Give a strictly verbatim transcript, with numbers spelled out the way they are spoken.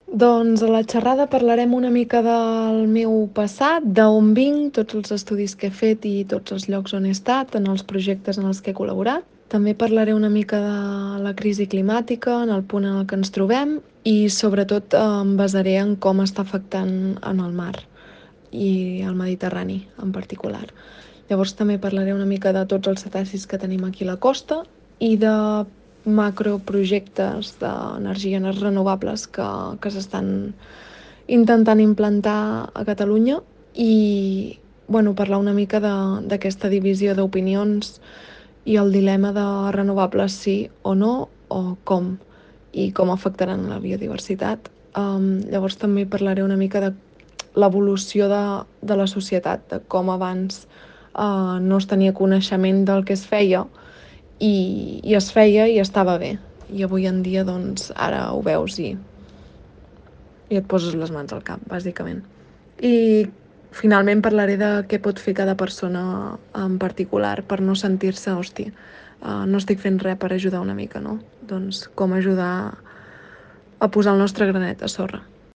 Doncs a la xerrada parlarem una mica del meu passat, d'on vinc, tots els estudis que he fet i tots els llocs on he estat, en els projectes en els que he col·laborat. També parlaré una mica de la crisi climàtica, en el punt en el que ens trobem i sobretot em basaré en com està afectant en el mar i el Mediterrani en particular. Llavors també parlaré una mica de tots els cetacis que tenim aquí a la costa i de macroprojectes d'energies renovables que, que s'estan intentant implantar a Catalunya i bueno, parlar una mica d'aquesta divisió d'opinions i el dilema de renovables sí o no o com i com afectaran la biodiversitat. Um, llavors també parlaré una mica de l'evolució de, de la societat, de com abans uh, no es tenia coneixement del que es feia i, i es feia i estava bé. I avui en dia, doncs, ara ho veus i, i et poses les mans al cap, bàsicament. I finalment parlaré de què pot fer cada persona en particular per no sentir-se, hosti, uh, no estic fent res per ajudar una mica, no? Doncs com ajudar a posar el nostre granet a sorra.